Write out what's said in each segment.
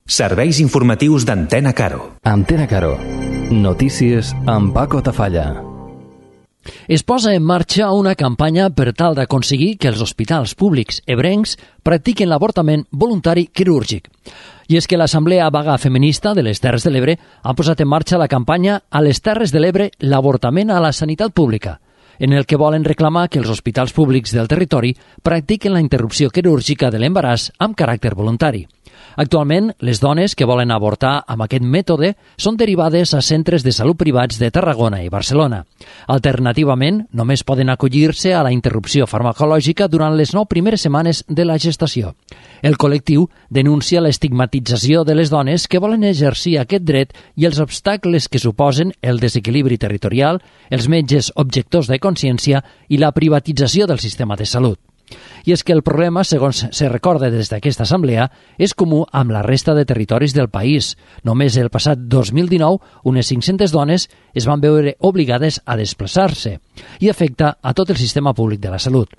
Serveis informatius d'Antena Caro. Antena Caro. Notícies amb Paco Tafalla. Es posa en marxa una campanya per tal d'aconseguir que els hospitals públics ebrencs practiquin l'avortament voluntari quirúrgic. I és que l'Assemblea Vaga Feminista de les Terres de l'Ebre ha posat en marxa la campanya A les Terres de l'Ebre, l'avortament a la sanitat pública, en el que volen reclamar que els hospitals públics del territori practiquen la interrupció quirúrgica de l'embaràs amb caràcter voluntari. Actualment, les dones que volen avortar amb aquest mètode són derivades a centres de salut privats de Tarragona i Barcelona. Alternativament, només poden acollir-se a la interrupció farmacològica durant les 9 primeres setmanes de la gestació. El col·lectiu denuncia l'estigmatització de les dones que volen exercir aquest dret i els obstacles que suposen el desequilibri territorial, els metges objectors de consciència i la privatització del sistema de salut. I és que el problema, segons se recorda des d'aquesta assemblea, és comú amb la resta de territoris del país. Només el passat 2019, unes 500 dones es van veure obligades a desplaçar-se i afecta a tot el sistema públic de la salut.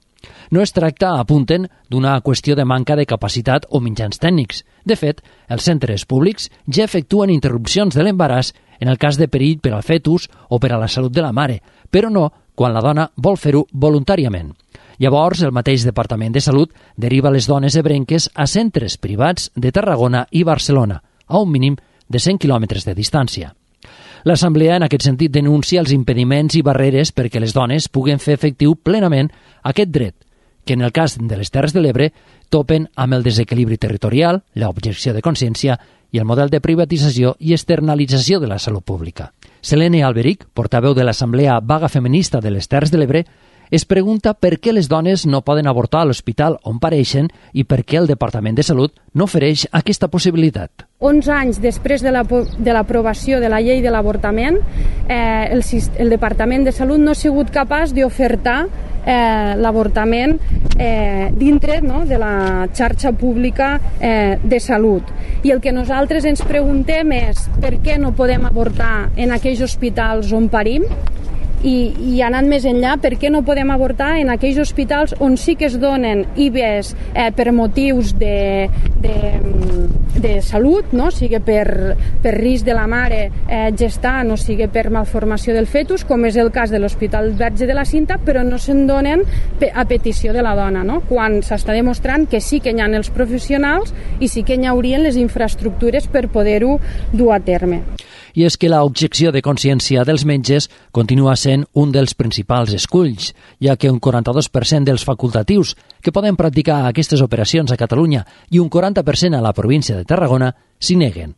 No es tracta, apunten, d'una qüestió de manca de capacitat o mitjans tècnics. De fet, els centres públics ja efectuen interrupcions de l'embaràs en el cas de perill per al fetus o per a la salut de la mare, però no quan la dona vol fer-ho voluntàriament. Llavors, el mateix Departament de Salut deriva les dones ebrenques a centres privats de Tarragona i Barcelona, a un mínim de 100 quilòmetres de distància. L'Assemblea, en aquest sentit, denuncia els impediments i barreres perquè les dones puguen fer efectiu plenament aquest dret, que en el cas de les Terres de l'Ebre topen amb el desequilibri territorial, l'objecció de consciència i el model de privatització i externalització de la salut pública. Selene Alberic, portaveu de l'Assemblea Vaga Feminista de les Terres de l'Ebre, es pregunta per què les dones no poden avortar a l'hospital on pareixen i per què el Departament de Salut no ofereix aquesta possibilitat. 11 anys després de l'aprovació de la llei de l'avortament, el Departament de Salut no ha sigut capaç d'ofertar l'avortament dintre de la xarxa pública de salut. I el que nosaltres ens preguntem és per què no podem avortar en aquells hospitals on parim, i anant més enllà, per què no podem avortar en aquells hospitals on sí que es donen IVEs per motius de salut, no? Sigui per risc de la mare gestant o sigui per malformació del fetus, com és el cas de l'Hospital Verge de la Cinta, però no se'n donen a petició de la dona, no? Quan s'està demostrant que sí que hi ha els professionals i sí que hi haurien les infraestructures per poder-ho dur a terme. I és que l'objecció de consciència dels metges continua sent un dels principals esculls, ja que un 42% dels facultatius que poden practicar aquestes operacions a Catalunya i un 40% a la província de Tarragona s'hi neguen.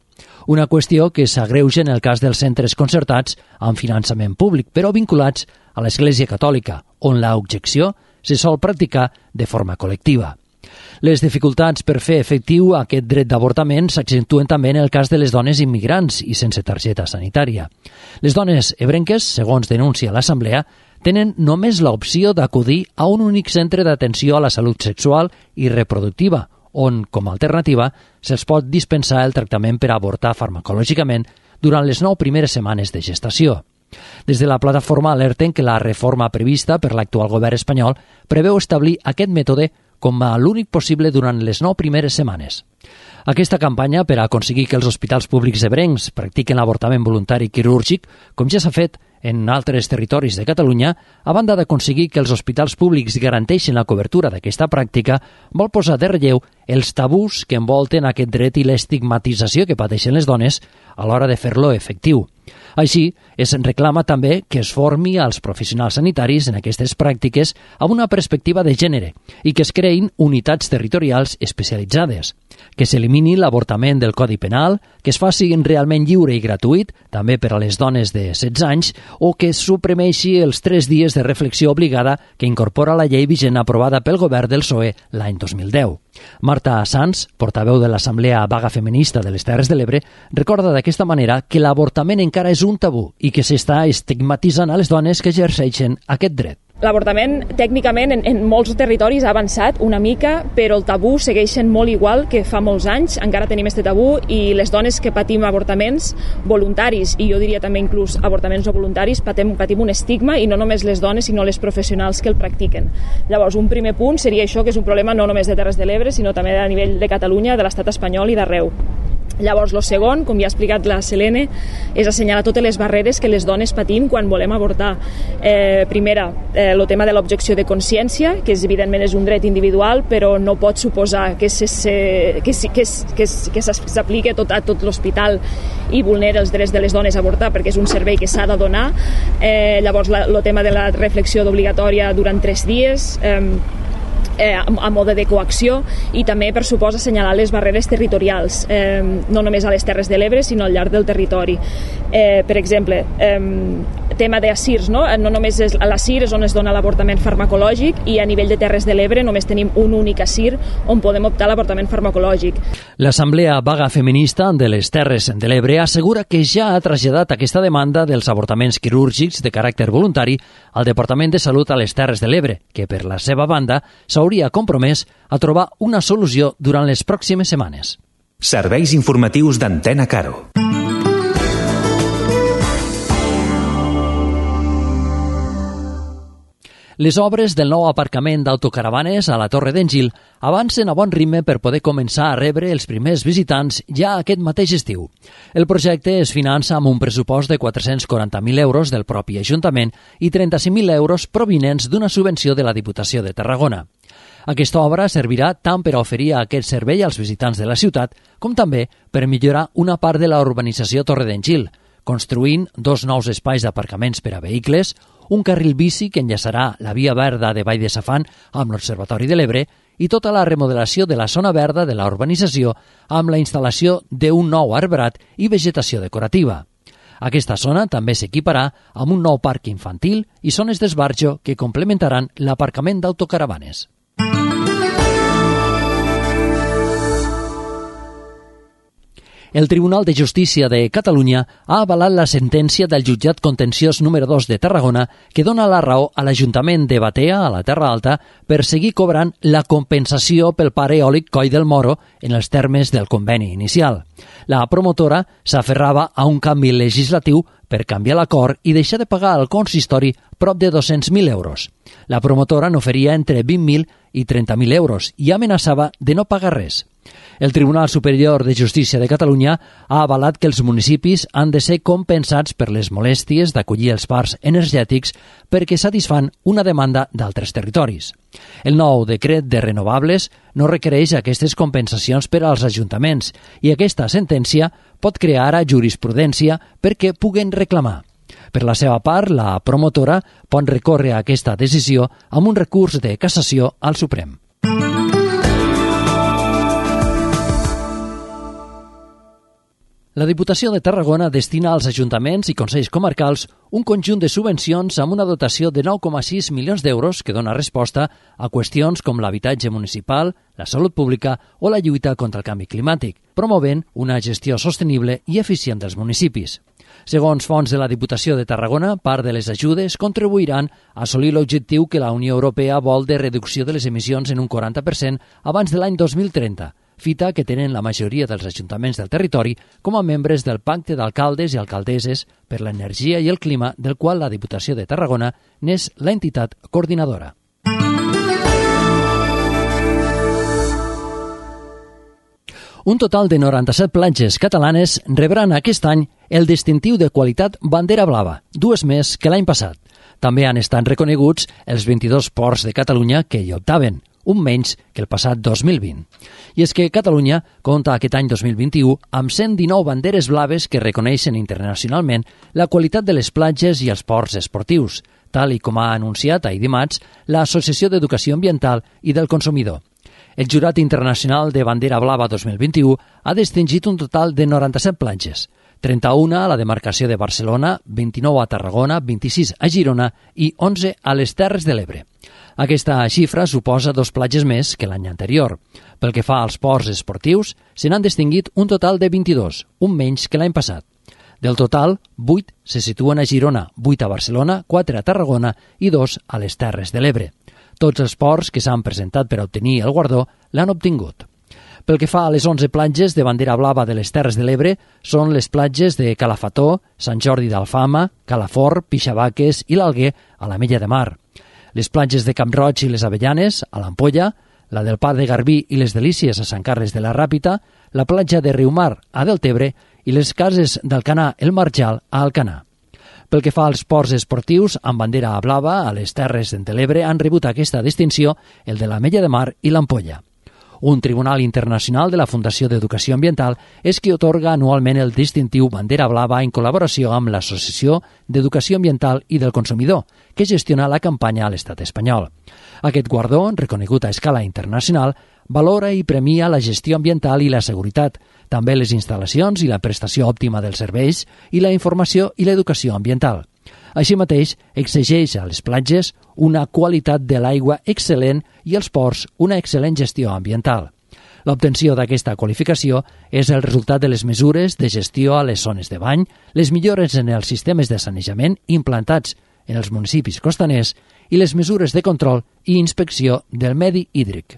Una qüestió que s'agreuja en el cas dels centres concertats amb finançament públic, però vinculats a l'Església Catòlica, on l'objecció se sol practicar de forma col·lectiva. Les dificultats per fer efectiu aquest dret d'avortament s'accentuen també en el cas de les dones immigrants i sense targeta sanitària. Les dones ebrenques, segons denuncia l'Assemblea, tenen només l'opció d'acudir a un únic centre d'atenció a la salut sexual i reproductiva, on, com a alternativa, se'ls pot dispensar el tractament per avortar farmacològicament durant les 9 primeres setmanes de gestació. Des de la plataforma alerten que la reforma prevista per l'actual govern espanyol preveu establir aquest mètode com a l'únic possible durant les 9 primeres setmanes. Aquesta campanya per a aconseguir que els hospitals públics ebrencs practiquen l'avortament voluntari quirúrgic, com ja s'ha fet en altres territoris de Catalunya, a banda d'aconseguir que els hospitals públics garanteixin la cobertura d'aquesta pràctica, vol posar de relleu els tabús que envolten aquest dret i l'estigmatització que pateixen les dones a l'hora de fer-lo efectiu. Així, es reclama també que es formi als professionals sanitaris en aquestes pràctiques amb una perspectiva de gènere i que es creïn unitats territorials especialitzades, que s'elimini l'avortament del Codi Penal, que es faci realment lliure i gratuït, també per a les dones de 16 anys, o que es suprimeixi els 3 dies de reflexió obligada que incorpora la llei vigent aprovada pel govern del PSOE l'any 2010. Marta Sanz, portaveu de l'Assemblea Vaga Feminista de les Terres de l'Ebre, recorda d'aquesta manera que l'avortament encara és un tabú i que s'està estigmatitzant a les dones que exerceixen aquest dret. L'avortament, tècnicament, en molts territoris ha avançat una mica, però el tabú segueix sent molt igual que fa molts anys. Encara tenim aquest tabú i les dones que patim avortaments voluntaris, i jo diria també inclús avortaments no voluntaris, patim un estigma, i no només les dones, sinó les professionals que el practiquen. Llavors, un primer punt seria això, que és un problema no només de Terres de l'Ebre, sinó també a nivell de Catalunya, de l'estat espanyol i d'arreu. Llavors, el segon, com ja ha explicat la Selene, és assenyalar totes les barreres que les dones patim quan volem avortar. Primera, el tema de l'objecció de consciència, que evidentment és un dret individual, però no pot suposar que s'apliqui a tot l'hospital i vulnera els drets de les dones a avortar, perquè és un servei que s'ha de donar. Llavors, el tema de la reflexió obligatòria durant 3 dies, a mode de coacció, i també, per supost, assenyalar les barreres territorials, no només a les Terres de l'Ebre, sinó al llarg del territori. Per exemple, tema d'ASIRS, no només a l'ASIR és on es dona l'avortament farmacològic, i a nivell de Terres de l'Ebre només tenim un únic ASIR on podem optar a l'avortament farmacològic. L'Assemblea Vaga Feminista de les Terres de l'Ebre assegura que ja ha traslladat aquesta demanda dels avortaments quirúrgics de caràcter voluntari al Departament de Salut a les Terres de l'Ebre, que per la seva banda s'hauria compromès a trobar una solució durant les pròximes setmanes. Serveis informatius d'Antena Caro. Les obres del nou aparcament d'autocaravanes a la Torre d'en Gil avancen a bon ritme per poder començar a rebre els primers visitants ja aquest mateix estiu. El projecte es finança amb un pressupost de 440.000 euros del propi Ajuntament i 35.000 euros provinents d'una subvenció de la Diputació de Tarragona. Aquesta obra servirà tant per a oferir aquest servei als visitants de la ciutat com també per millorar una part de la urbanització Torre d'en Gil, construint 2 nous espais d'aparcaments per a vehicles, un carril bici que enllaçarà la via verda de Vall de Safant amb l'Observatori de l'Ebre i tota la remodelació de la zona verda de la urbanització amb la instal·lació d'un nou arbrat i vegetació decorativa. Aquesta zona també s'equiparà amb un nou parc infantil i zones d'esbarjo que complementaran l'aparcament d'autocaravanes. El Tribunal de Justícia de Catalunya ha avalat la sentència del jutjat contenciós número 2 de Tarragona que dona la raó a l'Ajuntament de Batea, a la Terra Alta, per seguir cobrant la compensació pel parc eòlic Coll del Moro en els termes del conveni inicial. La promotora s'aferrava a un canvi legislatiu per canviar l'acord i deixar de pagar al consistori prop de 200.000 euros. La promotora n'oferia entre 20.000 i 30.000 euros i amenaçava de no pagar res. El Tribunal Superior de Justícia de Catalunya ha avalat que els municipis han de ser compensats per les molèsties d'acollir els parcs energètics perquè satisfan una demanda d'altres territoris. El nou decret de renovables no requereix aquestes compensacions per als ajuntaments i aquesta sentència pot crear ara jurisprudència perquè puguen reclamar. Per la seva part, la promotora pot recórrer a aquesta decisió amb un recurs de cassació al Suprem. La Diputació de Tarragona destina als ajuntaments i consells comarcals un conjunt de subvencions amb una dotació de 9,6 milions d'euros que dona resposta a qüestions com l'habitatge municipal, la salut pública o la lluita contra el canvi climàtic, promovent una gestió sostenible i eficient dels municipis. Segons fonts de la Diputació de Tarragona, part de les ajudes contribuiran a assolir l'objectiu que la Unió Europea vol de reducció de les emissions en un 40% abans de l'any 2030, fita que tenen la majoria dels ajuntaments del territori com a membres del Pacte d'Alcaldes i Alcaldesses per l'Energia i el Clima, del qual la Diputació de Tarragona n'és l'entitat coordinadora. Un total de 97 platges catalanes rebran aquest any el distintiu de qualitat Bandera Blava, 2 més que l'any passat. També han estat reconeguts els 22 ports de Catalunya que hi optaven, un menys que el passat 2020. I és que Catalunya compta aquest any 2021 amb 119 banderes blaves que reconeixen internacionalment la qualitat de les platges i els ports esportius, tal i com ha anunciat ahir dimarts l'Associació d'Educació Ambiental i del Consumidor. El Jurat Internacional de Bandera Blava 2021 ha distingit un total de 97 platges, 31 a la demarcació de Barcelona, 29 a Tarragona, 26 a Girona i 11 a les Terres de l'Ebre. Aquesta xifra suposa 2 platges més que l'any anterior. Pel que fa als ports esportius, se n'han distingit un total de 22, un menys que l'any passat. Del total, 8 se situen a Girona, 8 a Barcelona, 4 a Tarragona i 2 a les Terres de l'Ebre. Tots els ports que s'han presentat per obtenir el guardó l'han obtingut. Pel que fa a les 11 platges de bandera blava de les Terres de l'Ebre, són les platges de Calafató, Sant Jordi d'Alfama, Calafort, Pixabaques i l'Alguer a l'Ametlla de Mar. Les platges de Camp Roig i les Avellanes, a l'Ampolla, la del Parc de Garbí i les Delícies a Sant Carles de la Ràpita, la platja de Riumar a Deltebre i les cases d'Alcanar el Marjal a Alcanar. Pel que fa als ports esportius, amb bandera blava a les Terres de l'Ebre han rebut aquesta distinció el de l'Ametlla de Mar i l'Ampolla. Un tribunal internacional de la Fundació d'Educació Ambiental és qui atorga anualment el distintiu Bandera Blava en col·laboració amb l'Associació d'Educació Ambiental i del Consumidor, que gestiona la campanya a l'estat espanyol. Aquest guardó, reconegut a escala internacional, valora i premia la gestió ambiental i la seguretat, també les instal·lacions i la prestació òptima dels serveis i la informació i l'educació ambiental. Així mateix, exigeix a les platges una qualitat de l'aigua excel·lent i als ports una excel·lent gestió ambiental. L'obtenció d'aquesta qualificació és el resultat de les mesures de gestió a les zones de bany, les millores en els sistemes de sanejament implantats en els municipis costaners i les mesures de control i inspecció del medi hídric.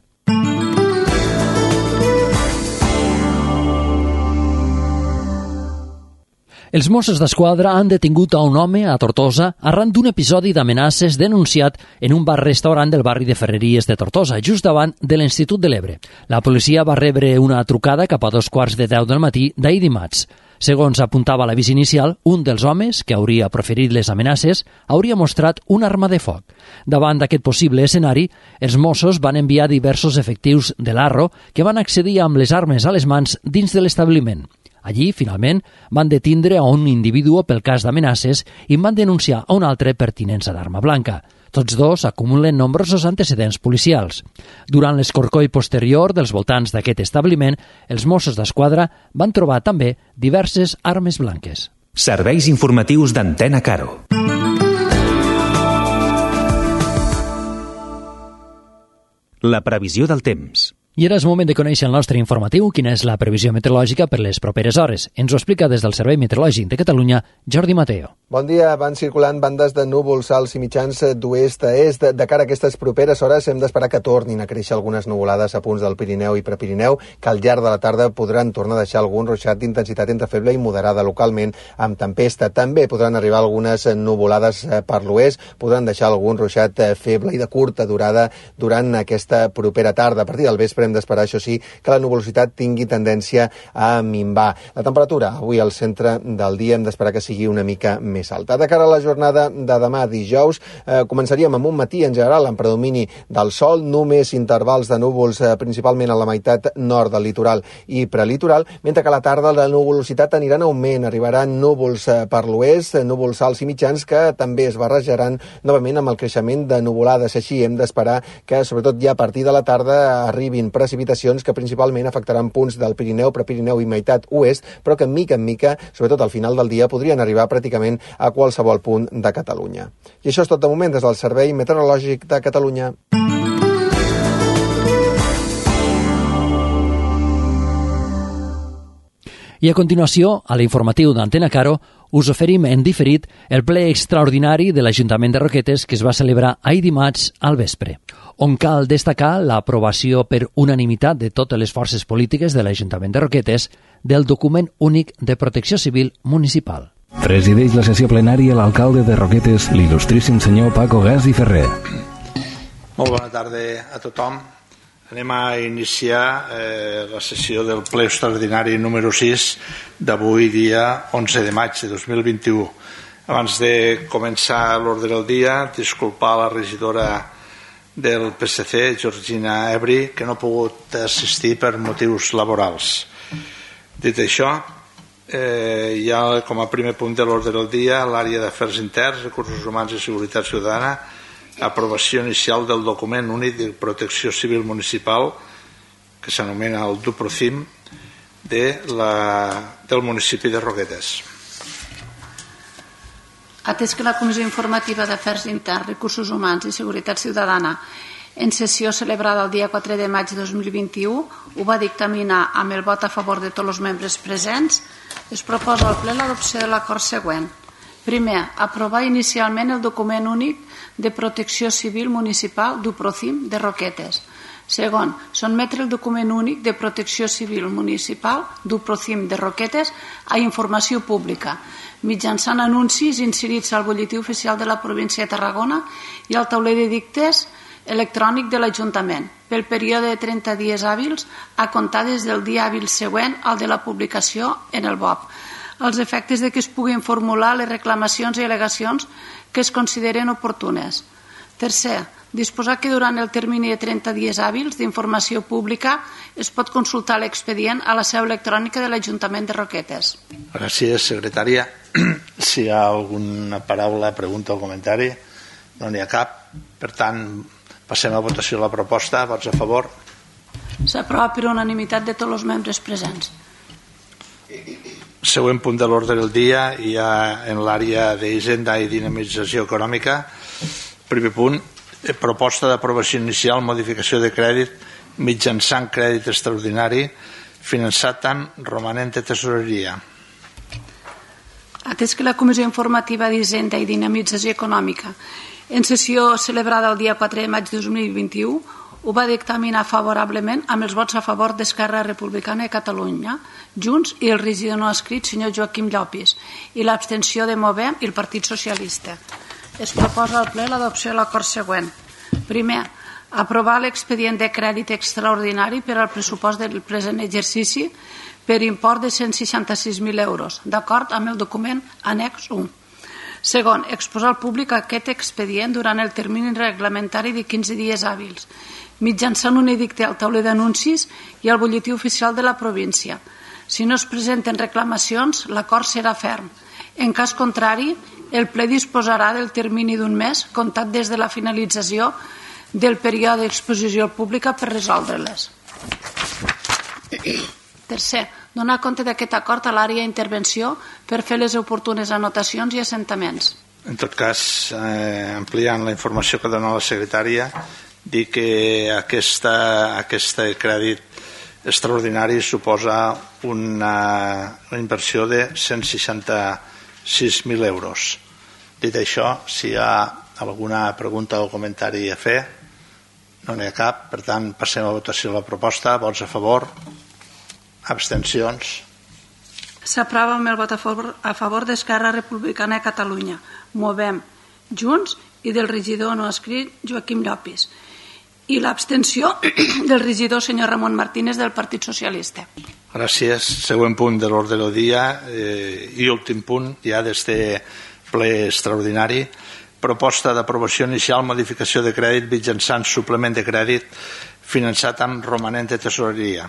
Els Mossos d'Esquadra han detingut a un home a Tortosa arran d'un episodi d'amenaces denunciat en un bar-restaurant del barri de Ferreries de Tortosa, just davant de l'Institut de l'Ebre. La policia va rebre una trucada cap a 2:15 del matí d'ahir dimarts. Segons apuntava l'avís inicial, un dels homes, que hauria proferit les amenaces, hauria mostrat una arma de foc. Davant d'aquest possible escenari, els Mossos van enviar diversos efectius de l'Arro que van accedir amb les armes a les mans dins de l'establiment. Allí, finalment, van detindre a un individu pel cas d'amenaces i van denunciar a un altre per tinença d'arma blanca. Tots dos acumulen nombrosos antecedents policials. Durant l'escorcoll posterior dels voltants d'aquest establiment, els Mossos d'Esquadra van trobar també diverses armes blanques. Serveis informatius d'Antena Caro. La previsió del temps. I ara és moment de conèixer el nostre informatiu, quina és la previsió meteorològica per les properes hores. Ens ho explica des del Servei Meteorològic de Catalunya, Jordi Mateo. Bon dia, van circulant bandes de núvols alts i mitjans d'oest a est. De cara a aquestes properes hores hem d'esperar que tornin a créixer algunes nuvolades a punts del Pirineu i Prepirineu, que al llarg de la tarda podran tornar a deixar algun ruixat d'intensitat entre feble i moderada localment amb tempesta. També podran arribar algunes nuvolades per l'oest, podran deixar algun ruixat feble i de curta durada durant aquesta propera tarda. A partir del vespre hem d'esperar, això sí, que la nuvolositat tingui tendència a minvar. La temperatura avui al centre del dia hem d'esperar que sigui una mica més alta. De cara a la jornada de demà dijous, començaríem amb un matí en general amb predomini del sol, només intervals de núvols principalment a la meitat nord del litoral i prelitoral, mentre que a la tarda la nuvolositat anirà en augment, arribaran núvols per l'oest, núvols alts i mitjans que també es barrejaran novament amb el creixement de nuvolades. Així hem d'esperar que sobretot ja a partir de la tarda arribin precipitacions que principalment afectaran punts del Pirineu, Prepirineu i meitat oest, però que mica en mica, sobretot al final del dia, podrien arribar pràcticament a qualsevol punt de Catalunya. I això és tot de moment des del Servei Meteorològic de Catalunya. I a continuació, a l'informatiu d'Antena Caro, us oferim en diferit el ple extraordinari de l'Ajuntament de Roquetes que es va celebrar ahir dimarts al vespre, on cal destacar l'aprovació per unanimitat de totes les forces polítiques de l'Ajuntament de Roquetes del document únic de protecció civil municipal. Presideix la sessió plenària l'alcalde de Roquetes, l'il·lustríssim senyor Paco Gas i Ferrer. Molt bona tarda a tothom. Anem a iniciar la sessió del ple extraordinari número 6 d'avui, dia 11 de maig de 2021. Abans de començar l'ordre del dia, disculpar la regidora del PSC, Georgina Ebri, que no ha pogut assistir per motius laborals. Dit això, ja com a primer punt de l'ordre del dia, l'àrea d'afers interns, recursos humans i seguretat ciutadana, aprovació inicial del document únic de protecció civil municipal que s'anomena el DUPROCIM del municipi de Roquetes. Atès que la Comissió Informativa d'Afers Interns, Recursos Humans i Seguretat Ciutadana en sessió celebrada el dia 4 de maig de 2021 ho va dictaminar amb el vot a favor de tots els membres presents, es proposa al ple l'adopció de l'acord següent. Primer, aprovar inicialment el document únic de protecció civil municipal DUPROCIM de Roquetes. Segon, sotmetre el document únic de protecció civil municipal DUPROCIM de Roquetes a informació pública, mitjançant anuncis inserits al butlletí oficial de la província de Tarragona i al tauler d'edictes electrònic de l'Ajuntament pel període de 30 dies hàbils a comptar des del dia hàbil següent al de la publicació en el BOP, als efectes de que es puguin formular les reclamacions i al·legacions que es consideren oportunes. Tercer, disposar que durant el termini de 30 dies hàbils d'informació pública es pot consultar l'expedient a la seu electrònica de l'Ajuntament de Roquetes. Gràcies, secretària. Si hi ha alguna paraula, pregunta o comentari, no n'hi ha cap. Per tant, passem a votació la proposta. Vots a favor? S'aprova per unanimitat de tots els membres presents. Següent punt de l'ordre del dia, hi ha en l'àrea d'Hisenda i Dinamització Econòmica. Primer punt, proposta d'aprovació inicial, modificació de crèdit mitjançant crèdit extraordinari finançat amb romanent de tesoreria. Atès que la Comissió Informativa d'Hisenda i Dinamització Econòmica, en sessió celebrada el dia 4 de maig de 2021, ho va dictaminar favorablement amb els vots a favor d'Esquerra Republicana de Catalunya, Junts i el regidor no escrit, senyor Joaquim Llopis, i l'abstenció de Movem i el Partit Socialista. Es proposa al ple l'adopció de l'acord següent. Primer, aprovar l'expedient de crèdit extraordinari per al pressupost del present exercici per import de 166.000 euros, d'acord amb el document annex 1. Segon, exposar al públic aquest expedient durant el termini reglamentari de 15 dies hàbils, mitjançant un edicte al tauler d'anuncis i al butlletí oficial de la província. Si no es presenten reclamacions, l'acord serà ferm. En cas contrari, el ple disposarà del termini d'un mes comptat des de la finalització del període d'exposició pública per resoldre-les. Tercer, donar compte d'aquest acord a l'àrea d'intervenció per fer les oportunes anotacions i assentaments. En tot cas, ampliant la informació que dona la secretària, dir que aquest crèdit extraordinari suposa una inversió de 166.000 euros. Dit això, si hi ha alguna pregunta o comentari a fer, no n'hi ha cap. Per tant, passem a votació de la proposta. Vots a favor? Abstencions? S'aprova amb el vot a favor d'Esquerra Republicana de Catalunya, Movem, Junts i del regidor no escrit Joaquim Llopis, i l'abstenció del regidor senyor Ramon Martínez del Partit Socialista. Gràcies. Següent punt de l'ordre del dia i últim punt ja d'este ple extraordinari. Proposta d'aprovació inicial, modificació de crèdit mitjançant suplement de crèdit finançat amb romanent de tesoreria.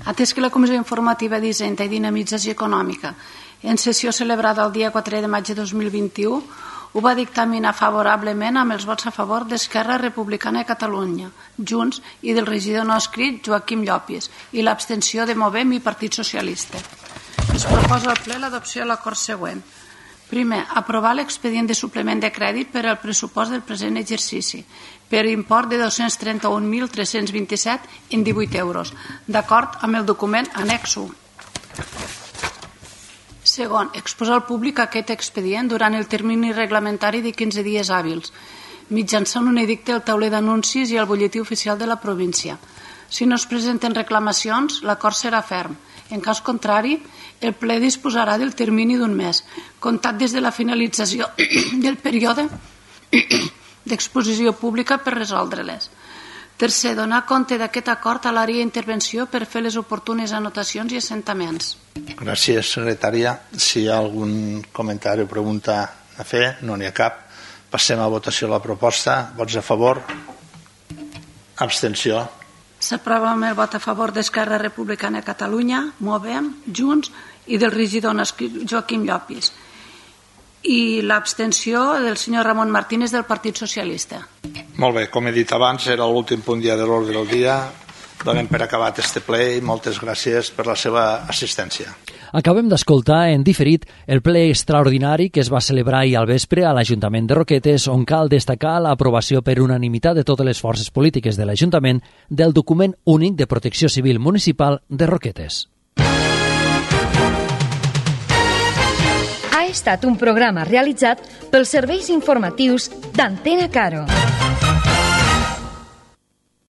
Atès que la Comissió Informativa d'Hisenda i Dinamització Econòmica, en sessió celebrada el dia 4 de maig de 2021, ho va dictaminar favorablement amb els vots a favor d'Esquerra Republicana de Catalunya, Junts i del regidor no escrit Joaquim Llopis i l'abstenció de Movem i Partit Socialista. Es proposa al ple l'adopció de l'acord següent. Primer, aprovar l'expedient de suplement de crèdit per al pressupost del present exercici per import de 231.327,18 euros, d'acord amb el document annex 1. Segon, exposar al públic aquest expedient durant el termini reglamentari de 15 dies hàbils, mitjançant un edicte al tauler d'anuncis i al butlletí oficial de la província. Si no es presenten reclamacions, l'acord serà ferm. En cas contrari, el ple disposarà del termini d'un mes, comptat des de la finalització del període d'exposició pública per resoldre-les. Tercer, donar compte d'aquest acord a l'àrea d'intervenció per fer les oportunes anotacions i assentaments. Gràcies, secretària. Si hi ha algun comentari o pregunta a fer, no n'hi ha cap. Passem a votació la proposta. Vots a favor? Abstenció? S'aprova amb el vot a favor d'Esquerra Republicana de Catalunya, Movem, Junts i del regidor Joaquim Llopis, i l'abstenció del senyor Ramon Martínez del Partit Socialista. Molt bé, com he dit abans, era l'últim punt ja de l'ordre del dia. Donem per acabat este ple i moltes gràcies per la seva assistència. Acabem d'escoltar en diferit el ple extraordinari que es va celebrar ahir al vespre a l'Ajuntament de Roquetes, on cal destacar l'aprovació per unanimitat de totes les forces polítiques de l'Ajuntament del document únic de protecció civil municipal de Roquetes. Ha estat un programa realitzat pels serveis informatius d'Antena Caro.